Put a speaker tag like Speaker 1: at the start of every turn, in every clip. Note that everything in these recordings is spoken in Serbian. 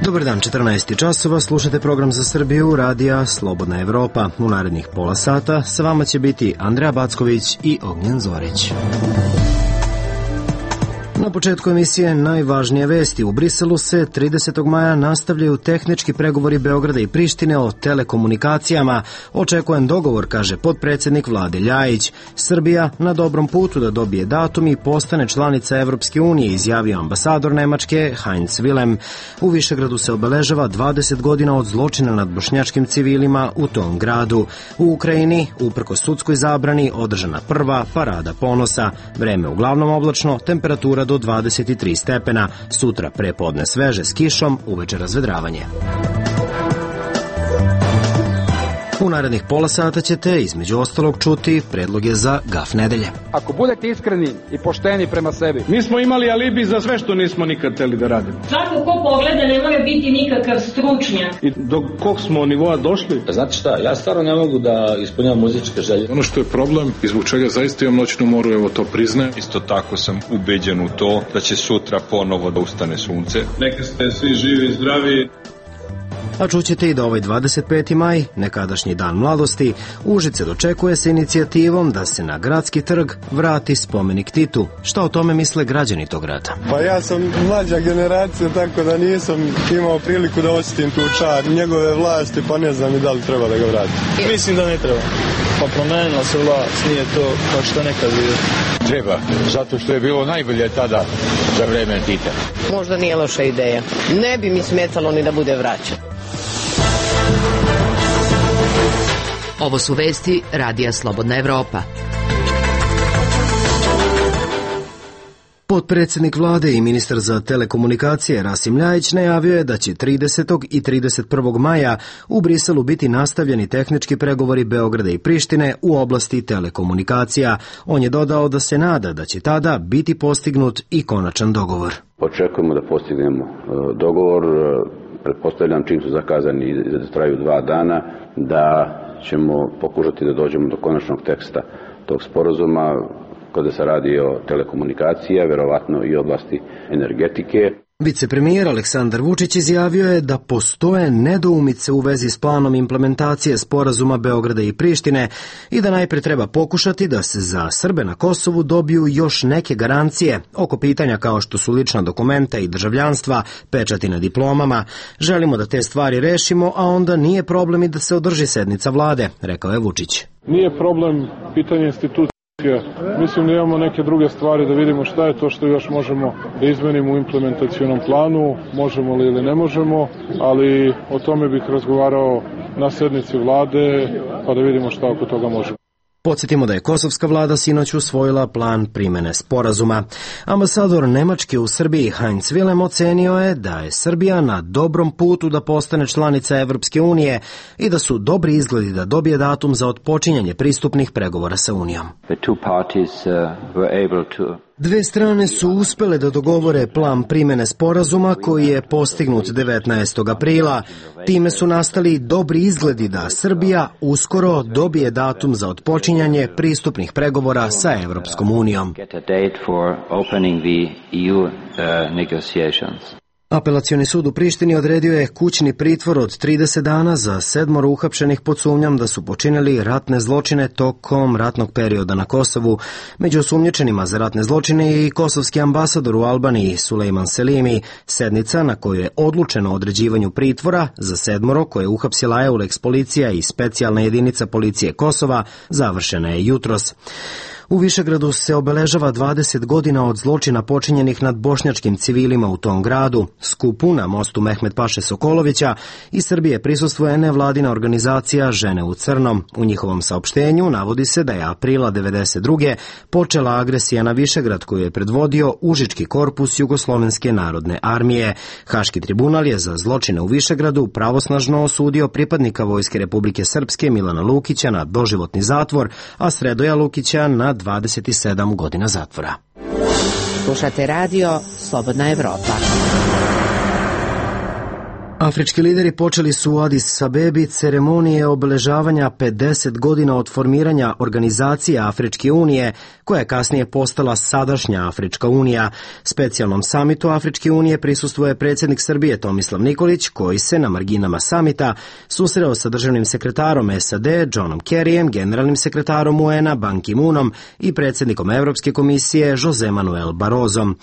Speaker 1: Dobar dan, 14 časova, slušate program za Srbiju, radija Slobodna Evropa. U narednih pola sata sa vama će biti Andreja Backović i Ognjen Zorić. Na početku emisije najvažnije vesti. U Briselu se 30. maja nastavljaju tehnički pregovori Beograda i Prištine o telekomunikacijama. Očekujem dogovor, kaže potpredsjednik vlade Ljajić. Srbija na dobrom putu da dobije datum i postane članica Evropske unije, izjavio ambasador Nemačke Heinz Willem. U Višegradu se obeležava 20 godina od zločina nad bošnjačkim civilima u tom gradu. U Ukrajini, uprkos sudskoj zabrani, održana prva parada ponosa. Vreme uglavnom oblačno, temperatura do 23 stepena, sutra prepodne sveže s kišom, uveče razvedravanje. U narednih pola sata ćete, između ostalog, čuti predloge za gaf nedelje.
Speaker 2: Ako budete iskreni i pošteni prema sebi.
Speaker 3: Mi smo imali alibi za sve što nismo nikad hteli da radimo.
Speaker 4: Svako ko pogleda ne mora biti nikakav stručnjak.
Speaker 3: I do kog smo nivoa došli?
Speaker 5: Znate šta, ja stvarno ne mogu da ispunjam muzičke želje.
Speaker 6: Ono što je problem i zbog čega zaista imam noćnu moru, evo to priznajem.
Speaker 7: Isto tako sam ubeđen u to da će sutra ponovo da ustane sunce.
Speaker 3: Neka ste svi živi i zdravi.
Speaker 1: A čućete i da ovaj 25. maj, nekadašnji dan mladosti, Užice dočekuje se inicijativom da se na gradski trg vrati spomenik Titu. Šta o tome misle građani tog grada?
Speaker 8: Pa ja sam mlađa generacija, tako da nisam imao priliku da osjetim tu čar njegove vlasti, pa ne znam i da li treba da ga vrati.
Speaker 9: Mislim da ne treba. Pa promenila se vlast, nije to kao što nekad bilo.
Speaker 10: Treba, zato što je bilo najbolje tada za vreme Tita.
Speaker 11: Možda nije loša ideja. Ne bi mi smetalo ni da bude vraćan.
Speaker 12: Ovo su vesti radija Slobodna Evropa.
Speaker 1: Potpredsjednik vlade i ministar za telekomunikacije Rasim Ljajić najavio je da će 30. i 31. maja u Briselu biti nastavljeni tehnički pregovori Beograda i Prištine u oblasti telekomunikacija. On je dodao da se nada da će tada biti postignut i konačan dogovor.
Speaker 13: Očekujemo da postignemo dogovor, pretpostavljam čim su zakazani da traju 2 dana, da ćemo pokušati da dođemo do konačnog teksta tog sporazuma kada se radi o telekomunikacija, verovatno i oblasti energetike.
Speaker 1: Vicepremijer Aleksandar Vučić izjavio je da postoje nedoumice u vezi s planom implementacije sporazuma Beograda i Prištine i da najpre treba pokušati da se za Srbe na Kosovu dobiju još neke garancije oko pitanja kao što su lična dokumenta i državljanstva, pečati na diplomama. Želimo da te stvari rešimo, a onda nije problem i da se održi sednica vlade, rekao je Vučić.
Speaker 3: Nije problem pitanje institucije. Mislim da imamo neke druge stvari da vidimo šta je to što još možemo da izmenimo u implementacionom planu, možemo li ili ne možemo, ali o tome bih razgovarao na sednici vlade pa da vidimo šta oko toga možemo.
Speaker 1: Podsjetimo da je kosovska vlada sinoć usvojila plan primene sporazuma. Ambasador Nemačke u Srbiji Heinz Willem ocenio je da je Srbija na dobrom putu da postane članica Evropske unije i da su dobri izgledi da dobije datum za otpočinjanje pristupnih pregovora sa Unijom. Dve strane su uspele da dogovore plan primene sporazuma koji je postignut 19. aprila. Time su nastali dobri izgledi da Srbija uskoro dobije datum za otpočinjanje pristupnih pregovora sa Evropskom unijom. Apelacioni sud u Prištini odredio je kućni pritvor od 30 dana za 7 uhapšenih pod sumnjom da su počinili ratne zločine tokom ratnog perioda na Kosovu. Među osumnjičenima za ratne zločine je i kosovski ambasador u Albaniji Sulejman Selimi. Sednica na kojoj je odlučeno o određivanju pritvora za 7 koje je uhapsila EULEX policija i specijalna jedinica policije Kosova završena je jutros. U Višegradu se obeležava 20 godina od zločina počinjenih nad bošnjačkim civilima u tom gradu. Skupu na mostu Mehmet Paše Sokolovića iz Srbije prisustvuje nevladina organizacija Žene u crnom. U njihovom saopštenju navodi se da je aprila 1992. počela agresija na Višegrad koju je predvodio Užički korpus Jugoslovenske narodne armije. Haški tribunal je za zločine u Višegradu pravosnažno osudio pripadnika Vojske Republike Srpske Milana Lukića na doživotni zatvor, a Sredoja Lukića na 27 godina zatvora.
Speaker 12: Slušate radio Slobodna Evropa.
Speaker 1: Afrički lideri počeli su u Adis Abebi ceremonije obeležavanja 50 godina od formiranja organizacije Afričke unije, koja je kasnije postala sadašnja Afrička unija. Specijalnom samitu Afričke unije prisustvuje predsjednik Srbije Tomislav Nikolić, koji se na marginama samita susreo sa državnim sekretarom SAD Johnom Kerryjem, generalnim sekretarom UN-a Ban Ki-moonom i predsjednikom Evropske komisije Jose Manuel Barrosom.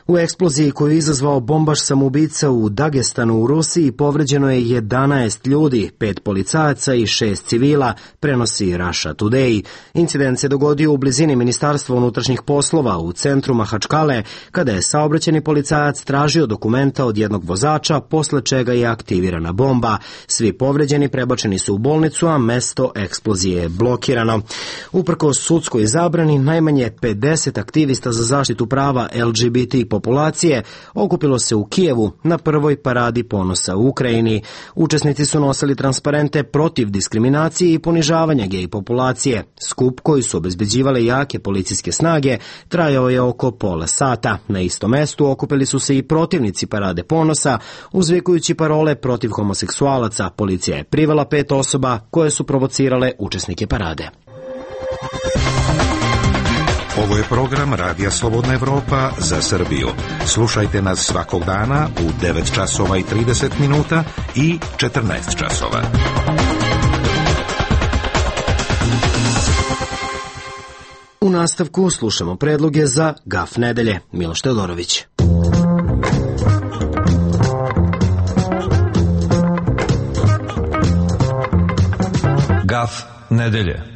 Speaker 1: U eksploziji koju je izazvao bombaš samoubica u Dagestanu u Rusiji povređeno je 11 ljudi, 5 policajaca i 6 civila, prenosi Russia Today. Incident se dogodio u blizini Ministarstva unutrašnjih poslova u centru Mahačkale, kada je saobraćajni policajac tražio dokumenta od jednog vozača, posle čega je aktivirana bomba. Svi povređeni prebačeni su u bolnicu, a mesto eksplozije je blokirano. Uprkos sudskoj zabrani, najmanje 50 aktivista za zaštitu prava LGBT populacije okupilo se u Kijevu na prvoj paradi ponosa u Ukrajini. Učesnici su nosili transparente protiv diskriminacije i ponižavanja gej populacije. Skup koji su obezbeđivale jake policijske snage trajao je oko pola sata. Na istom mestu okupili su se i protivnici parade ponosa, uzvikujući parole protiv homoseksualaca. Policija je privela 5 osoba koje su provocirale učesnike parade.
Speaker 14: Ovo je program Radija Slobodna Evropa za Srbiju. Slušajte nas svakog dana u 9 časova i 30 minuta i 14 časova.
Speaker 1: U nastavku slušamo predloge za Gaf nedelje. Miloš Teodorović.
Speaker 15: Gaf nedelje.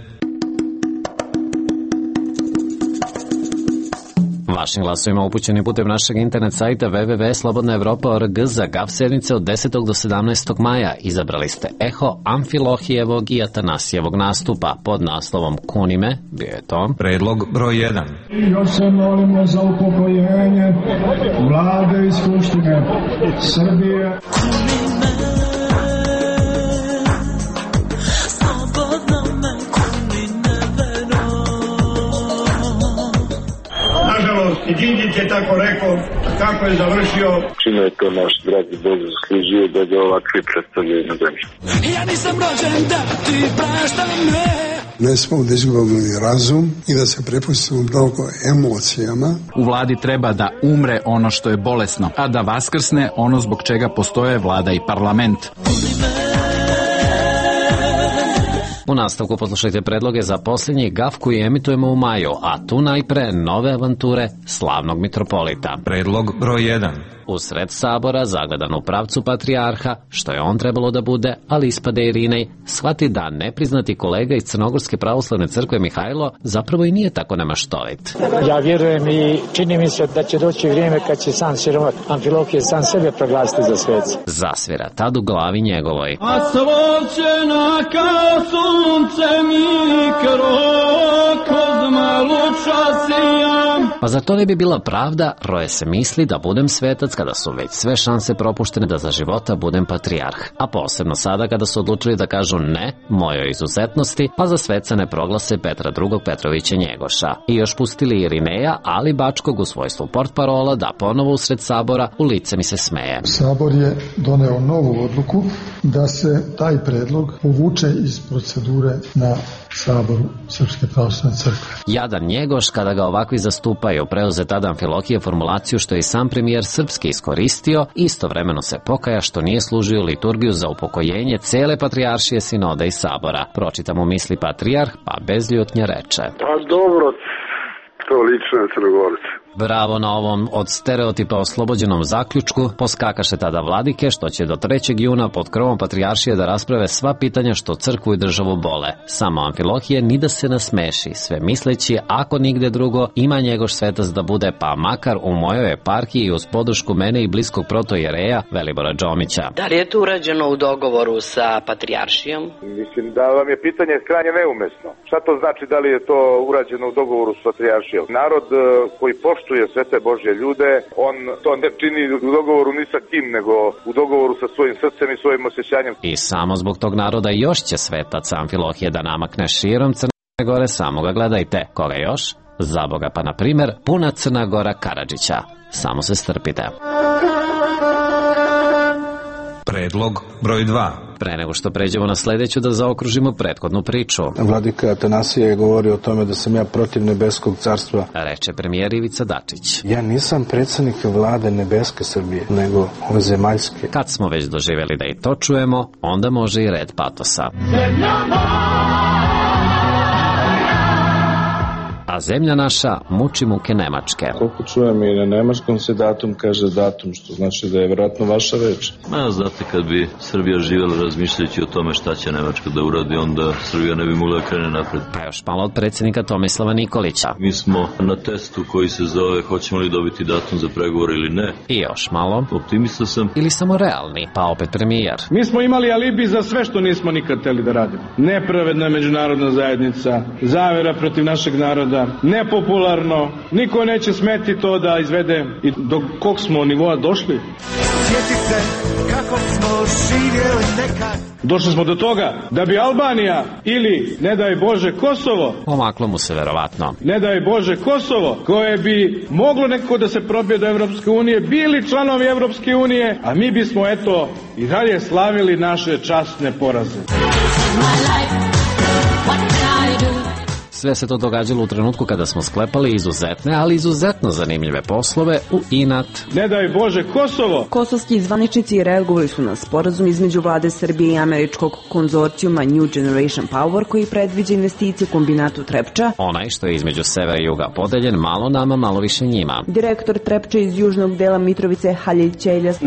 Speaker 15: Vašim glasovima upućeni putem našeg internet sajta www.slobodnaevropa.org za Gaf sedmice od 10. do 17. maja izabrali ste eho Amfilohijevog i Atanasijevog nastupa pod naslovom Kunime, bio je to
Speaker 16: predlog broj 1.
Speaker 17: Još se molimo za upokojenje Vlade i Skupštine Srbije.
Speaker 18: I Đinđić je tako rekao, kako je završio.
Speaker 19: Čime je to naš dragi Bog zaslužio da ga ovakvi predstavljaju na zemlji.
Speaker 20: Ja nisam rođen da ti praštam me.
Speaker 21: Ne smemo da izgubimo razum i da se prepustimo mnogo emocijama.
Speaker 22: U vladi treba da umre ono što je bolesno, a da vaskrsne ono zbog čega postoje vlada i parlament.
Speaker 15: U nastavku poslušajte predloge za posljednji Gaf koji emitujemo u maju, a tu najpre nove avanture slavnog mitropolita.
Speaker 16: Predlog broj 1.
Speaker 15: Usred sabora, zagledan u pravcu patrijarha, što je on trebalo da bude, ali ispade Irinej, shvati da nepriznati kolega iz Crnogorske pravoslavne crkve Mihajlo zapravo i nije tako nemaštovit.
Speaker 23: Ja vjerujem i čini mi se da će doći vrijeme kad će sam siromah Amfilohije sam sebe proglasiti za sveca.
Speaker 15: Zasvira tad u glavi njegovoj.
Speaker 20: A svoće naka sunce mikro, kozma luča sijam.
Speaker 15: Pa za to ne bi bila pravda, roje se misli da budem svetac kada su već sve šanse propuštene da za života budem patrijarh. A posebno sada kada su odlučili da kažu ne mojoj izuzetnosti, pa za sveca ne proglase Petra II. Petrovića Njegoša. I još pustili Irineja, ali Bačkog u svojstvu portparola da ponovo usred sabora u lice mi se smeje.
Speaker 21: Sabor je doneo novu odluku da se taj predlog povuče iz procedure na Saboru Srpske pravoslavne crkve.
Speaker 15: Jadan Njegoš, kada ga ovakvi zastupaju, preuze tada Amfilohije formulaciju što je sam premijer srpski iskoristio, istovremeno se pokaja što nije služio liturgiju za upokojenje cele patrijaršije sinoda i sabora. Pročitam u misli patrijarh, pa bez ljutnje reče.
Speaker 19: Pa dobro, to lično je Crnogorce.
Speaker 15: Bravo na ovom od stereotipa oslobođenom zaključku, poskakaše tada vladike što će do 3. juna pod krovom patrijaršije da rasprave sva pitanja što crkvu i državu bole. Samo Amfilohije ni da se nasmeši, sve misleći ako nigde drugo ima Njegoš svetac da bude, pa makar u mojoj eparhiji uz podršku mene i bliskog protojereja Velibora Đomića.
Speaker 11: Da li je to urađeno u dogovoru sa patrijaršijom?
Speaker 24: Mislim da vam je pitanje krajnje neumesno. Šta to znači da li je to urađeno u dogovoru sa patrijaršijom? Narod koji poštuje sve te Božje ljude, on to ne čini u dogovoru ni sa kim, nego u dogovoru sa svojim srcem i svojim osjećanjem.
Speaker 15: I samo zbog tog naroda još će svetac Amfilohije da namakne širom Crne Gore, samo ga gledajte. Koga još? Za Boga, pa na primer puna Crna Gora Karadžića. Samo se strpite.
Speaker 16: Predlog broj 2.
Speaker 15: Pre nego što pređemo na sledeću, da zaokružimo prethodnu priču.
Speaker 2: Vladika Atanasije je govorio o tome da sam ja protiv nebeskog carstva.
Speaker 15: Reče premijer Ivica Dačić.
Speaker 2: Ja nisam predsjednik vlade nebeske Srbije, nego ove zemaljske.
Speaker 15: Kad smo već doživjeli da i to čujemo, onda može i red patosa. A zemlja naša muči muke Nemačke.
Speaker 4: Koliko čujem i na nemačkom se datum kaže datum, što znači da je vjerojatno vaša reč.
Speaker 5: Znate, kad bi Srbija živjela razmišljajući o tome šta će Nemačka da uradi, onda Srbija ne bi mogla da krene napred.
Speaker 15: Pa još malo od predsjednika Tomislava Nikolića.
Speaker 5: Mi smo na testu koji se zove hoćemo li dobiti datum za pregovor ili ne.
Speaker 15: I još malo.
Speaker 5: Optimista sam.
Speaker 15: Ili samo realni, pa opet premijer.
Speaker 18: Mi smo imali alibi za sve što nismo nikad hteli da radimo. Nepravedna međunarodna zajednica, zavera protiv našeg naroda, nepopularno, niko neće smeti to da izvede. I do kog smo nivoa došli? Sjeti se kako smo živjeli nekad. Došli smo do toga da bi Albanija ili, ne daj Bože, Kosovo,
Speaker 15: omaklo mu se verovatno,
Speaker 18: ne daj Bože, Kosovo, koje bi moglo nekako da se probije do Evropske unije, bili članovi Evropske unije, a mi bismo, eto, i dalje slavili naše časne poraze.
Speaker 15: Sve se to događalo u trenutku kada smo sklepali izuzetne, ali izuzetno zanimljive poslove u inat.
Speaker 18: Ne daj Bože, Kosovo!
Speaker 6: Kosovski zvaničnici reagovali su na sporazum između vlade Srbije i američkog konzorcijuma New Generation Power koji predviđa investicije u kombinatu Trepča.
Speaker 15: Onaj što je između severa i juga podeljen, malo nama, malo više njima.
Speaker 6: Direktor Trepča iz južnog dela Mitrovice Halil Ćeljas.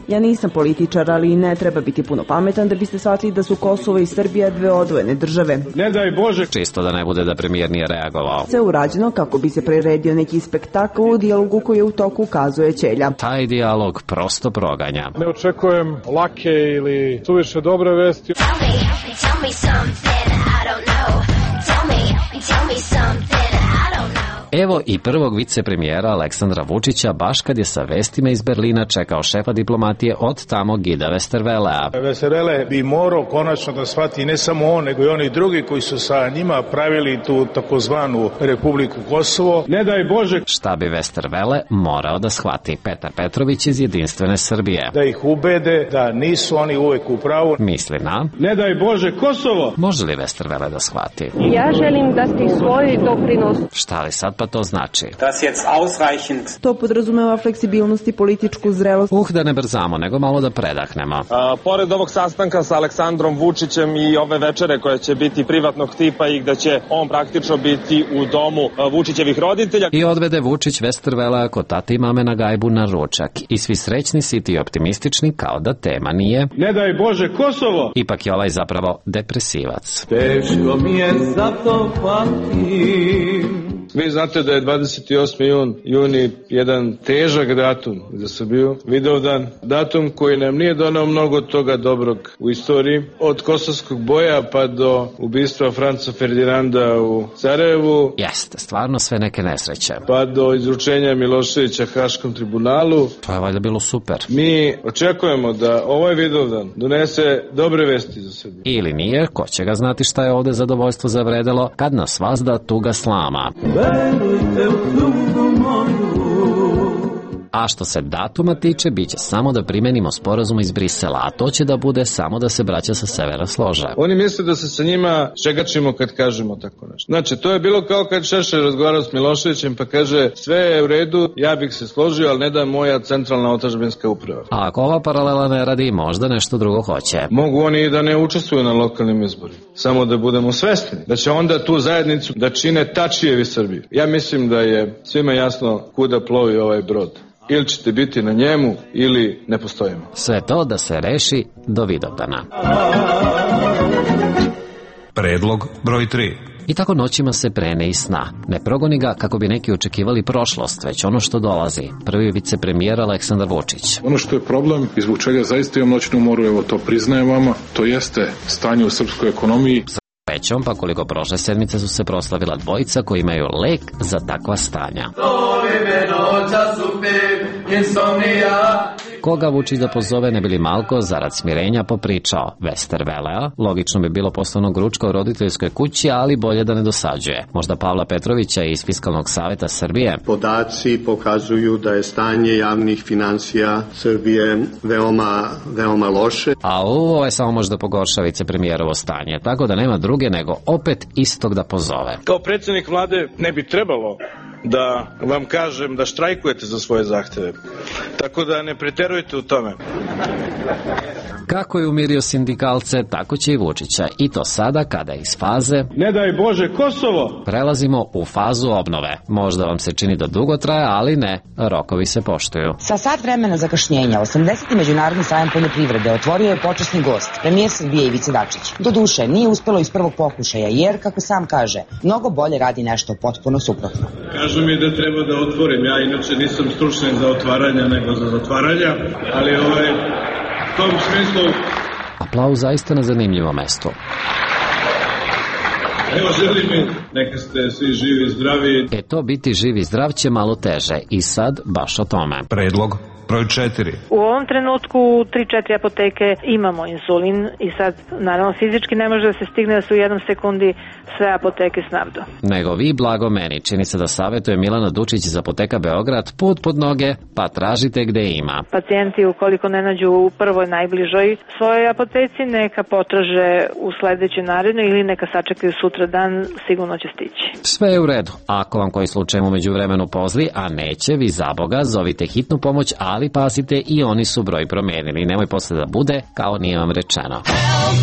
Speaker 6: Ja nisam političar, ali ne treba biti puno pametan da biste shvatili da su Kosovo i Srbija dve odvojene države.
Speaker 18: Ne daj Bože!
Speaker 15: Čisto da ne bude da premijer nije reagovao.
Speaker 6: Sve urađeno kako bi se priredio neki spektakl u dijalogu koji je u toku, ukazuje Ćelja.
Speaker 15: Taj dijalog prosto proganja.
Speaker 3: Ne očekujem lake ili suviše dobre vesti.
Speaker 15: Tell me something I don't know. Tell me something I don't know. Evo i prvog vicepremijera Aleksandra Vučića, baš kad je sa vestima iz Berlina čekao šefa diplomatije od tamo Gida Westervelea.
Speaker 25: Westervele bi morao konačno da shvati ne samo on, nego i oni drugi koji su sa njima pravili tu takozvanu Republiku Kosovo.
Speaker 18: Ne daj Bože!
Speaker 15: Šta bi Westervele morao da shvati? Petar Petrović iz Jedinstvene Srbije.
Speaker 25: Da ih ubede da nisu oni uvek u pravu.
Speaker 15: Misli na...
Speaker 18: Ne daj Bože, Kosovo!
Speaker 15: Može li Westervele da shvati?
Speaker 6: Ja želim dati svoj doprinos.
Speaker 15: Šta li sad pa to znači?
Speaker 6: To podrazumeva fleksibilnost i političku zrelost.
Speaker 15: Da ne brzamo, nego malo da predahnemo.
Speaker 26: Pored ovog sastanka sa Aleksandrom Vučićem i ove večere koja će biti privatnog tipa i da će on praktično biti u domu Vučićevih roditelja.
Speaker 15: I odvede Vučić Westervelea kod tate i mame na gajbu na ručak. I svi srećni, siti i optimistični kao da tema nije.
Speaker 18: Ne daj Bože, Kosovo!
Speaker 15: Ipak je ovaj zapravo depresivac.
Speaker 25: Teško mi je zato patim.
Speaker 4: Vi znate da je 28. juni jedan težak datum za Srbiju, Vidovdan, datum koji nam nije donao mnogo toga dobrog u istoriji, od kosovskog boja pa do ubistva Franca Ferdinanda u Sarajevu.
Speaker 15: Jeste, stvarno sve neke nesreće.
Speaker 4: Pa do izručenja Miloševića Haškom tribunalu.
Speaker 15: To je valjda bilo super.
Speaker 4: Mi očekujemo da ovaj Vidovdan donese dobre vesti za Srbiju.
Speaker 15: Ili nije, ko će ga znati šta je ovde zadovoljstvo zavredelo, kad nas vazda tuga slama. A što se datuma tiče, bit će samo da primenimo sporazum iz Brisela, a to će da bude samo da se braća sa severa slože.
Speaker 4: Oni misle da se sa njima čegačimo kad kažemo tako nešto. Znači, to je bilo kao kad Šešelj razgovarao s Miloševićem pa kaže sve je u redu, ja bih se složio, ali ne da moja centralna otadžbinska uprava.
Speaker 15: A ako ova paralela ne radi, možda nešto drugo hoće.
Speaker 4: Mogu oni i da ne učestvuju na lokalnim izborima. Samo da budemo svesni da će onda tu zajednicu da čine Tačijevi Srbiju. Ja mislim da je svima jasno kuda plovi ovaj brod. Ili ćete biti na njemu, ili ne postojimo.
Speaker 15: Sve to da se reši do Vidovdana.
Speaker 14: Predlog broj 3.
Speaker 15: I tako noćima se prene i sna. Ne progoni ga kako bi neki očekivali prošlost, već ono što dolazi. Prvi vicepremijer Aleksandar Vučić.
Speaker 3: Ono što je problem i zbog čega zaista imam noćnu moru, evo to priznajem vama, to jeste stanje u srpskoj ekonomiji.
Speaker 15: Srećom, pa koliko prošle sedmice su se proslavila dvojica koji imaju lek za takva stanja. Koga Vučić da pozove ne bi li malko zarad smirenja popričao? Westervelea, logično bi bilo poslovnog ručka u roditeljskoj kući, ali bolje da ne dosađuje. Možda Pavla Petrovića iz Fiskalnog saveta Srbije.
Speaker 7: Podaci pokazuju da je stanje javnih finansija Srbije veoma loše.
Speaker 15: A ovo je samo možda pogorša vicepremijerovo stanje, tako da nema druge nego opet istog da pozove.
Speaker 18: Kao predsjednik vlade ne bi trebalo da vam kažem da štrajkujete za svoje zahteve. Tako da ne preterujte u tome.
Speaker 15: Kako je umirio sindikalce, tako će i Vučića. I to sada kada je iz faze
Speaker 18: ne daj Bože Kosovo
Speaker 15: prelazimo u fazu obnove. Možda vam se čini da dugo traje, ali ne, rokovi se poštuju.
Speaker 8: Sa sat vremena zakašnjenja 80. Međunarodni sajam poljoprivrede otvorio je počasni gost, premijer Srbije Ivica Dačić. Doduše, nije uspelo iz prvog pokušaja, jer, kako sam kaže, mnogo bolje radi nešto potpuno suprotno.
Speaker 18: Kažu mi da treba da otvorim, ja inače nisam stručnjak za otvaranja nego za zatvaranja, ali u tom smislu...
Speaker 15: Aplauz zaista na zanimljivom mestu.
Speaker 18: Evo, želim mi, neka ste svi živi i zdravi.
Speaker 15: To biti živi i zdrav će malo teže i sad baš o tome.
Speaker 16: Predlog broj 4.
Speaker 9: U ovom trenutku u 3-4 apoteke imamo insulin i sad naravno fizički ne može da se stigne da se u jednom sekundi sve apoteke snabdu.
Speaker 15: Nego vi, blago meni, čini se da savjetuje Milana Dučić iz apoteka Beograd, put pod noge, pa tražite gde ima.
Speaker 9: Pacijenti ukoliko ne nađu u prvoj najbližoj svojoj apoteci, neka potraže u sledećoj narednoj ili neka sačekaju sutra dan, sigurno će stići.
Speaker 15: Sve je u redu. Ako vam koji slučaj u međuvremenu pozli, a neće, vi za Boga zovite hitnu pomoć, ali pazite, i oni su broj promenili. Nemoj posle da bude kao nije vam rečeno.
Speaker 20: Help,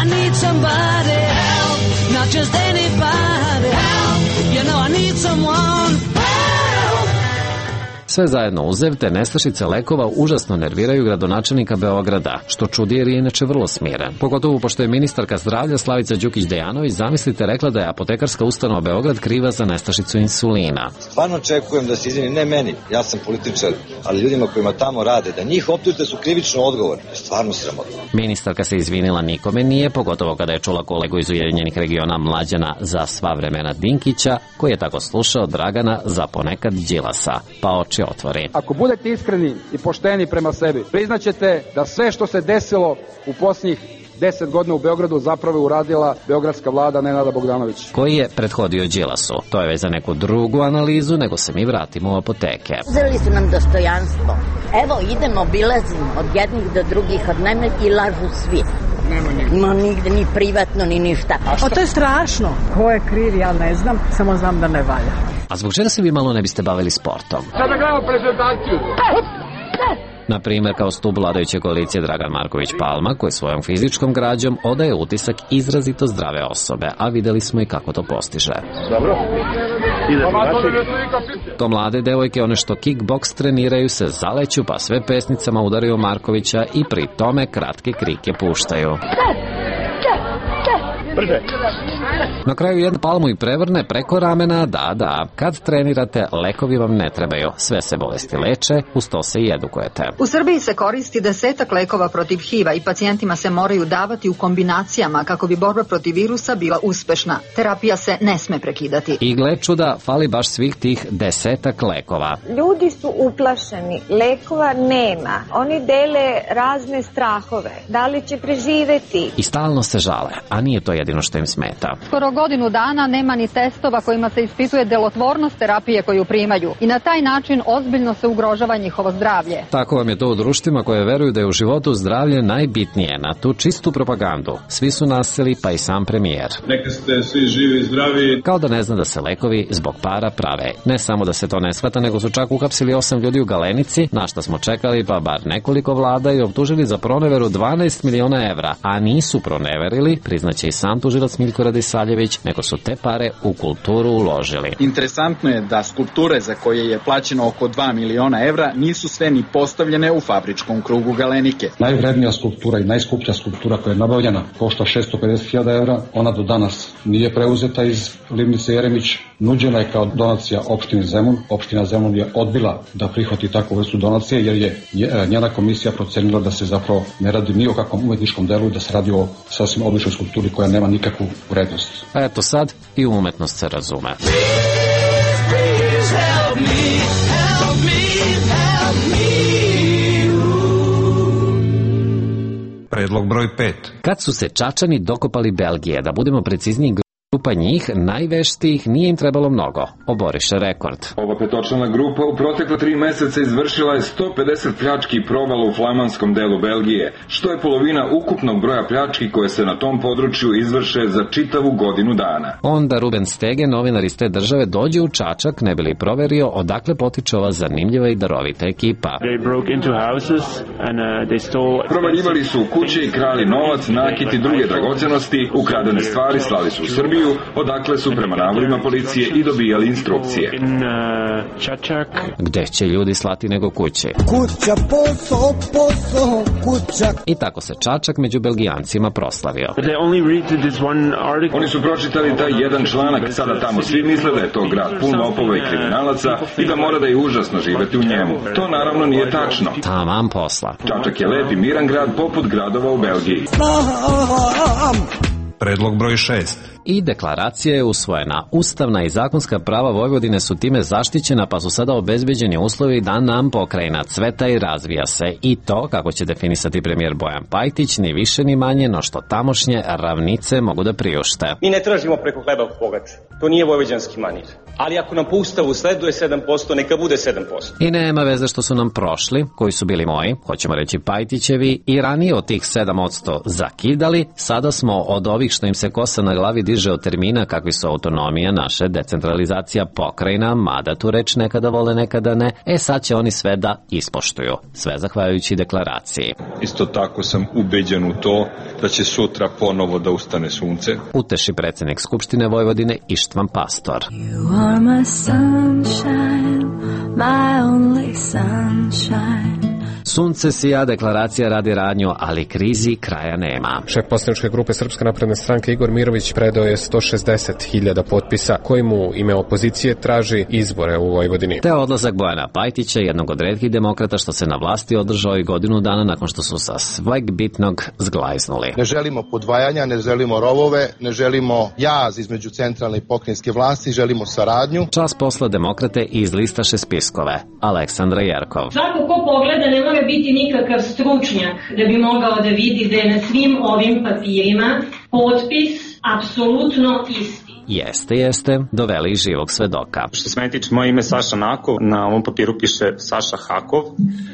Speaker 20: I need somebody help, not just anybody help, you know I need someone help.
Speaker 15: Sve zajedno uzev te nestašice lekova užasno nerviraju gradonačelnika Beograda, što čudi jer je inače vrlo smiren. Pogotovo pošto je ministarka zdravlja Slavica Đukić-Dejanović, zamislite, rekla da je apotekarska ustanova Beograd kriva za nestašicu insulina.
Speaker 10: Stvarno očekujem da se izvini, ne meni, ja sam političar, ali ljudima kojima tamo rade, da njih optužite su krivično odgovorni. Stvarno sramotno.
Speaker 15: Ministarka se izvinila nikome nije, pogotovo kada je čula kolegu iz Ujedinjenih regiona Mlađana za sva vremena Dinkića, koji je tako slušao Dragana za ponekad Đilasa, pa oči otvori.
Speaker 12: Ako budete iskreni i pošteni prema sebi, priznaćete da sve što se desilo u posljednjih 10 godina u Beogradu zapravo uradila beogradska vlada Nenada Bogdanovića.
Speaker 15: Koji je prethodio Đilasu. To je već za neku drugu analizu, nego se mi vratimo u apoteke.
Speaker 13: Uzeli su nam dostojanstvo. Evo, idemo, obilazimo od jednih do drugih, od mene i lažu svi. Nema nigde ni privatno, ni ništa.
Speaker 27: O, to je strašno. Ko je kriv, ja ne znam, samo znam da ne valja.
Speaker 15: A zbog čega se vi malo ne biste bavili sportom?
Speaker 12: Sada gledamo prezentaciju.
Speaker 15: Na primjer, kao stub vladajuće koalicije Dragan Marković Palma, koji svojom fizičkom građom odaje utisak izrazito zdrave osobe, a videli smo i kako to postiže.
Speaker 12: Dobro.
Speaker 15: To mlade devojke, one što kickboks treniraju, se zaleću, pa sve pesnicama udaraju Markovića i pri tome kratke krike puštaju. Na kraju jednu palmu i prevrne preko ramena, da, kad trenirate, lekovi vam ne trebaju. Sve se bolesti leče, uz to se i edukujete.
Speaker 28: U Srbiji se koristi 10 lekova protiv HIV-a i pacijentima se moraju davati u kombinacijama kako bi borba protiv virusa bila uspešna. Terapija se ne sme prekidati.
Speaker 15: I gle čuda, fali baš svih tih 10 lekova.
Speaker 29: Ljudi su uplašeni, lekova nema. Oni dele razne strahove. Da li će preživeti?
Speaker 15: I stalno se žale, a nije to jedino što im smeta.
Speaker 28: Skoro godinu dana nema ni testova kojima se ispituje delotvornost terapije koju primaju i na taj način ozbiljno se ugrožava njihovo zdravlje.
Speaker 15: Tako vam je to u društvima koje veruju da je u životu zdravlje najbitnije. Na tu čistu propagandu svi su naseli, pa i sam premijer.
Speaker 18: Neka ste svi živi i zdravi.
Speaker 15: Kao da ne zna da se lekovi zbog para prave. Ne samo da se to ne shvata, nego su čak uhapsili 8 ljudi u Galenici, na šta smo čekali pa bar nekoliko vlada, i optužili za proneveru 12 miliona evra, a nisu proneverili, priznaće i sam tužilac Miljko Radisavljević, nego su te pare u kulturu uložili.
Speaker 22: Interesantno je da skulpture za koje je plaćeno oko 2 miliona evra nisu sve ni postavljene u fabričkom krugu Galenike.
Speaker 30: Najvrednija skulptura i najskuplja skulptura koja je nabavljena košta 650.000 evra. Ona do danas nije preuzeta iz Livnice Jeremić. Nuđena je kao donacija opštini Zemun. Opština Zemun je odbila da prihvati takvu vrstu donacije jer je njena komisija procenila da se zapravo ne radi ni o kakvom umetničkom delu, da se radi o sasvim običnoj skulpturi koja nema nikakvu vrednost.
Speaker 15: Eto sad i umetnost se razume.
Speaker 20: Please help me, help me, help me.
Speaker 16: Predlog broj 5.
Speaker 15: Kad su se Čačani dokopali Belgije, da budemo precizniji, grupa njih, najveštijih, nije im trebalo mnogo. Oboriše rekord.
Speaker 1: Ova petočlana grupa u protekla 3 meseca izvršila je 150 pljački i provala u flamanskom delu Belgije, što je polovina ukupnog broja pljački koje se na tom području izvrše za čitavu godinu dana.
Speaker 15: Onda Ruben Stege, novinar iz te države, dođe u Čačak, ne bi li proverio odakle potiče ova zanimljiva i darovita ekipa.
Speaker 1: Provaljivali su u kuće i krali novac, nakit i druge dragocenosti, ukradene stvari slali su u Srbiju, odakle su prema navodima policije i dobijali instrukcije.
Speaker 15: Gde će ljudi slati nego kuće?
Speaker 2: Kuća, posao, kuća.
Speaker 15: I tako se Čačak među Belgijancima proslavio.
Speaker 1: Oni su pročitali taj jedan članak, sada tamo svi misle da je to grad pun lopova i kriminalaca i da mora da je užasno živeti u njemu. To naravno nije tačno.
Speaker 15: Taman posla.
Speaker 1: Čačak je lep i miran grad poput gradova u Belgiji.
Speaker 16: Predlog broj 6.
Speaker 15: I deklaracija je usvojena. Ustavna i zakonska prava Vojvodine su time zaštićena, pa su sada obezbeđeni uslovi da nam pokrajina cveta i razvija se. I to, kako će definisati premijer Bojan Pajtić, ni više ni manje, no što tamošnje ravnice mogu da priušte.
Speaker 5: Mi ne tražimo preko hleba u pogaču. To nije vojvođanski manir. Ali ako nam po ustavu sleduje 7%, neka bude 7%.
Speaker 15: I nema veze što su nam prošli, koji su bili moji, hoćemo reći Pajtićevi, i ranije od tih 7% zakidali, sada smo od ovih što im se kosa na glavi diže od termina kakvi su autonomija, naše decentralizacija, pokrajina, mada tu reč nekada vole, nekada ne, sad će oni sve da ispoštuju, sve zahvaljujući deklaraciji.
Speaker 1: Isto tako sam ubeđen u to da će sutra ponovo da ustane sunce.
Speaker 15: Uteši predsjednik Skupštine Vojvodine Ištvan Pastor.
Speaker 20: You are my sunshine, my only sunshine.
Speaker 15: Sunce sija, deklaracija radi radnju, ali krizi kraja nema.
Speaker 6: Šef poslaničke grupe Srpske napredne stranke Igor Mirović predao je 160.000 potpisa koji mu ime opozicije traži izbore u Vojvodini.
Speaker 15: Te odlazak Bojana Pajtića, jednog od retkih demokrata što se na vlasti održao i godinu dana nakon što su sa sveg bitnog zglajznuli.
Speaker 11: Ne želimo podvajanja, ne želimo rovove, ne želimo jaz između centralne i pokrajinske vlasti, želimo saradnju.
Speaker 15: Čas posla demokrate izlistaše spiskove. Aleksandra Jerkov.
Speaker 17: Svako ko pogleda ne mora biti nikakav stručnjak da bi mogao da vidi da je na svim ovim papirima potpis apsolutno isti.
Speaker 15: Jeste, doveli živog svedoka.
Speaker 5: Što se meni tiče, moje ime Saša Nakov, na ovom papiru piše Saša Hakov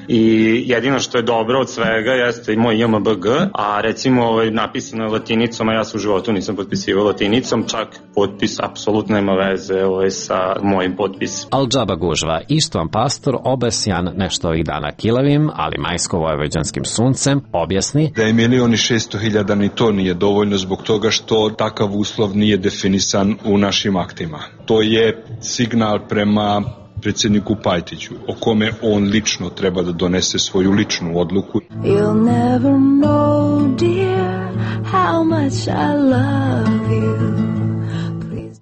Speaker 5: i jedino što je dobro od svega jeste i moj JMBG, a recimo napisano je latinicom, a ja se u životu nisam potpisivao latinicom, čak potpis apsolutno nema veze sa mojim potpisom.
Speaker 15: Al džaba gužva, Ištvan Pastor, obesjan nešto ovih dana kilavim, ali majsko-vojvođanskim suncem, objasni
Speaker 1: da je 1.600.000 ni to nije dovoljno zbog toga što takav uslov nije definisan u našim aktima. To je signal prema predsjedniku Pajtiću, o kome on lično treba da donese svoju ličnu odluku.
Speaker 20: You'll never know, dear, how much I love you.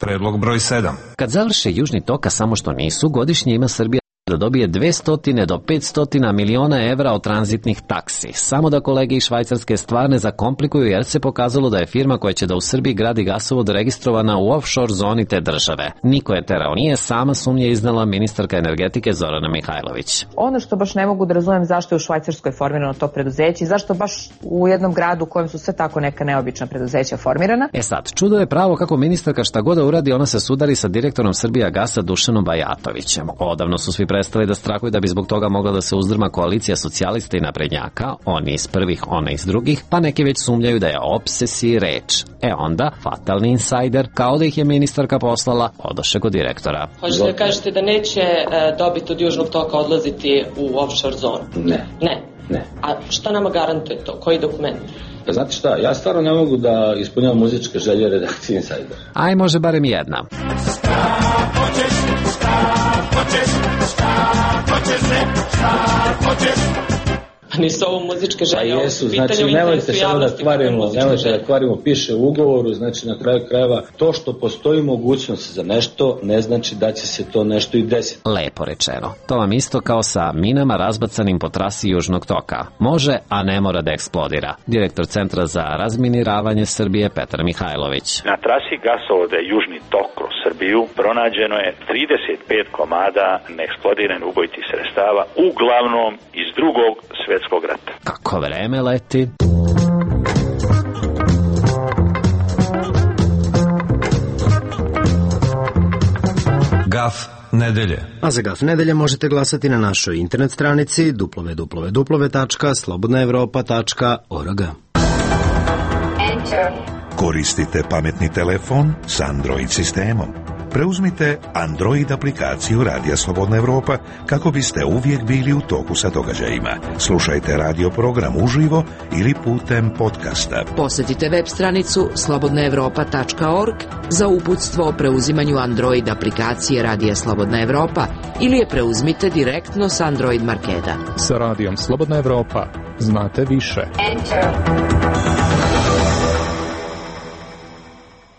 Speaker 16: Predlog broj 7.
Speaker 15: Kad završe Južni tok, a samo što nisu, godišnje ima Srbija da dobije 200 do 500 miliona evra od tranzitnih taksi. Samo da kolege iz Švajcarske stvar ne zakomplikuju, jer se pokazalo da je firma koja će da u Srbiji gradi gasovod registrovana u offshore zoni te države. Niko je terao nije, sama sumnje iznala ministarka energetike Zorana Mihajlović.
Speaker 19: Ono što baš ne mogu da razumem zašto je u Švajcarskoj formirano to preduzeće i zašto baš u jednom gradu u kojem su sve tako neka neobična preduzeća formirana.
Speaker 15: Sad, čudo je pravo kako ministarka šta god da uradi, ona se sudari sa direktorom Srbijagasa Dušanom Bajatovićem. Odavno su svi prestali da strahuju da bi zbog toga mogla da se uzdrma koalicija socijalista i naprednjaka, oni iz prvih, ona iz drugih, pa neki već sumnjaju da je obsesiji reč. Onda, fatalni insajder, kao da ih je ministarka poslala, odoše kod direktora.
Speaker 21: Hoćete da kažete da neće dobit od Južnog toka odlaziti u offshore zonu? Ne. A šta nama garantuje to? Koji dokument?
Speaker 23: Pa znate šta, ja stvarno ne mogu da ispunjavam muzičke želje redakcije Insider.
Speaker 15: Aj, može barem jedna.
Speaker 21: Nisu ovo muzičke želje.
Speaker 23: Pa jesu, znači nemojte samo da kvarimo, piše u ugovoru, znači na kraju krajeva to što postoji mogućnost za nešto ne znači da će se to nešto i desiti.
Speaker 15: Lepo rečeno. To vam isto kao sa minama razbacanim po trasi Južnog toka. Može, a ne mora da eksplodira. Direktor Centra za razminiravanje Srbije Petar Mihajlović.
Speaker 24: Na trasi gasovoda Južni tok kroz Srbiju pronađeno je 35 komada neeksplodiranih ubojitih sredstava, uglavnom iz Drugog svjetskog rata.
Speaker 15: Kako vreme leti.
Speaker 16: Graf nedelje.
Speaker 3: A za Graf nedelje možete glasati na našoj internet stranici www.slobodnaevropa.org.
Speaker 4: Koristite pametni telefon s Android sistemom. Preuzmite Android aplikaciju Radija Slobodna Evropa kako biste uvijek bili u toku sa događajima. Slušajte radio program uživo ili putem podcasta.
Speaker 7: Posjetite web stranicu slobodnaevropa.org za uputstvo o preuzimanju Android aplikacije Radija Slobodna Evropa ili je preuzmite direktno s Android marketa.
Speaker 8: Sa Radijom Slobodna Evropa znate više.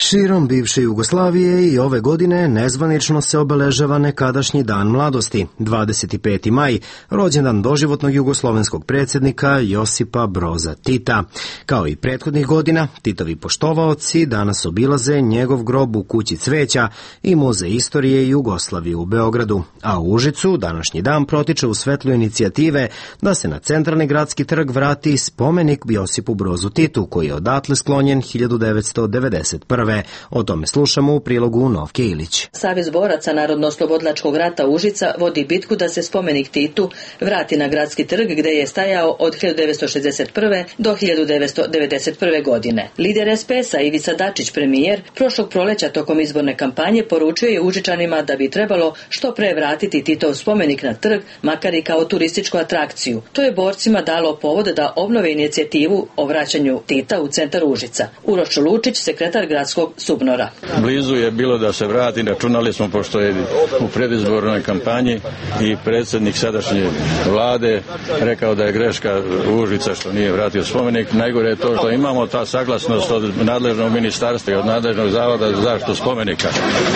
Speaker 3: Širom bivše Jugoslavije i ove godine nezvanično se obeležava nekadašnji dan mladosti, 25. maj, rođendan doživotnog jugoslovenskog predsjednika Josipa Broza Tita. Kao i prethodnih godina, Titovi poštovaoci danas obilaze njegov grob u Kući cveća i Muzej istorije Jugoslavije u Beogradu, a u Užicu današnji dan protiče u svetlu inicijative da se na centralni gradski trg vrati spomenik Josipu Brozu Titu, koji je odatle sklonjen 1991. O tome slušamo u prilogu Novke Ilić.
Speaker 9: Savez boraca Narodno-oslobodilačkog rata Užica vodi bitku da se spomenik Titu vrati na gradski trg gde je stajao od 1961. do 1991. godine. Lider SPS-a Ivica Dačić, premijer, prošlog proleća tokom izborne kampanje poručio je Užičanima da bi trebalo što pre vratiti Titov spomenik na trg, makar i kao turističku atrakciju. To je borcima dalo povod da obnove inicijativu o vraćanju Tita u centar Užica. Uroš Lučić, sekretar gradskog Subnora.
Speaker 10: Blizu je bilo da se vrati, računali smo pošto je u predizbornoj kampanji i predsjednik sadašnje vlade rekao da je greška Užica što nije vratio spomenik. Najgore je to što imamo ta saglasnost od nadležnog ministarstva i od nadležnog zavoda za zaštitu spomenika,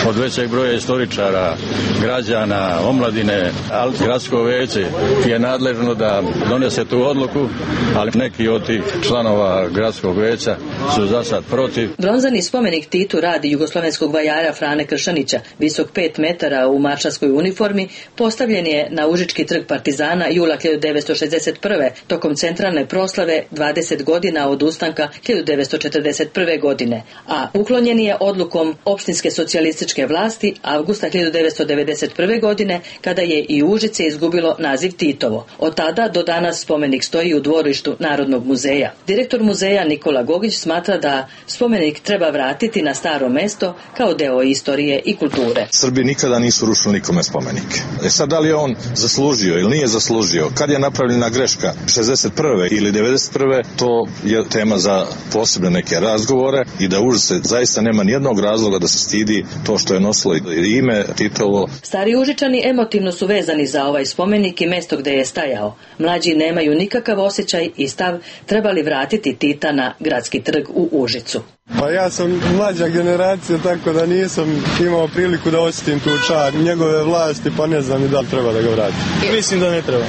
Speaker 10: od većeg broja istoričara, građana, omladine, ali gradsko veće je nadležno da donese tu odluku, ali neki od tih članova gradskog veća su za sad protiv.
Speaker 9: Bronzani spomenik Titu radi jugoslovenskog vajara Frane Kršanića, visok 5 metara u maršalskoj uniformi, postavljen je na Užički trg Partizana jula 1961. tokom centralne proslave 20 godina od ustanka 1941. godine, a uklonjen je odlukom opštinske socijalističke vlasti avgusta 1991. godine kada je i Užice izgubilo naziv Titovo. Od tada do danas spomenik stoji u dvorištu Narodnog muzeja. Direktor muzeja Nikola Gogić smatra da spomenik treba vratiti na staro mesto kao deo istorije i kulture.
Speaker 13: Srbi nikada nisu rušili nikome spomenike. Sad da li je on zaslužio ili nije zaslužio, kad je napravljena greška 61. ili 91. to je tema za posebne neke razgovore i da Užice zaista nema nijednog razloga da se stidi to što je nosilo ime Titovo.
Speaker 9: Stari Užičani emotivno su vezani za ovaj spomenik i mesto gde je stajao. Mlađi nemaju nikakav osjećaj i stav trebali vratiti Tita na gradski trg u Užicu.
Speaker 14: Pa ja sam mlađa generacija, tako da nisam imao priliku da osjetim tu čar njegove vlasti, pa ne znam i da li treba da ga vrati.
Speaker 25: Mislim da ne treba.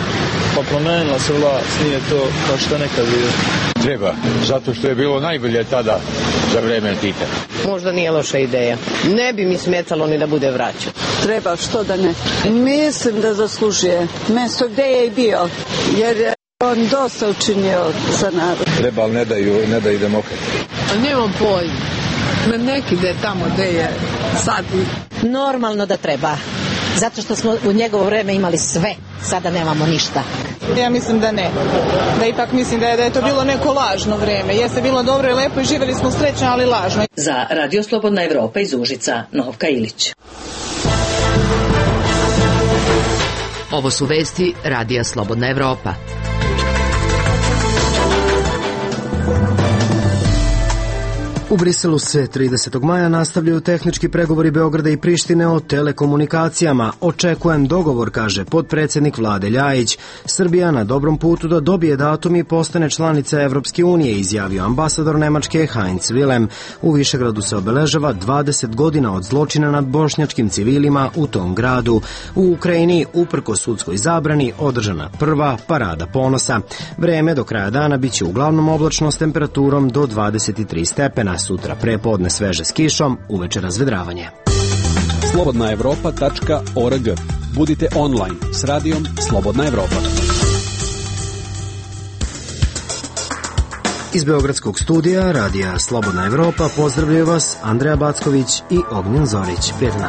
Speaker 25: Pa promenila se vlast, nije to kao što nekad bilo.
Speaker 26: Treba, zato što je bilo najbolje tada za vreme Tita.
Speaker 31: Možda nije loša ideja. Ne bi mi smetalo ni da bude vraćan.
Speaker 32: Treba, što da ne. Mislim da zaslužuje mesto gde je i bio, jer je on dosta učinio za narod.
Speaker 26: Treba, ali ne daju demokrati.
Speaker 32: Nemam pojma. Neki gde je tamo gde je sad.
Speaker 31: Normalno da treba. Zato što smo u njegovo vreme imali sve. Sada nemamo ništa.
Speaker 32: Ja mislim da ne. Da ipak mislim da je to bilo neko lažno vreme. Jeste bilo dobro i lepo i živjeli smo srećno, ali lažno.
Speaker 9: Za Radio Slobodna Evropa iz Užica, Novka Ilić.
Speaker 7: Ovo su vesti Radija Slobodna Evropa.
Speaker 3: U Briselu se 30. maja nastavljaju tehnički pregovori Beograda i Prištine o telekomunikacijama. Očekujem dogovor, kaže potpredsjednik vlade Ljajić. Srbija na dobrom putu da dobije datum i postane članica Evropske unije, izjavio ambasador Nemačke Heinz Willem. U Višegradu se obeležava 20 godina od zločina nad bošnjačkim civilima u tom gradu. U Ukrajini, uprko sudskoj zabrani, održana prva parada ponosa. Vreme do kraja dana biće uglavnom oblačno s temperaturom do 23 stepena. Sutra prepodne sveže s kišom, uveče razvedravanje.
Speaker 33: slobodnaevropa.org. Budite online s radijom Slobodna Evropa.
Speaker 3: Iz beogradskog studija Radija Slobodna Evropa pozdravljaju vas Andreja Backović i Ognjen Zorić. Prijatno.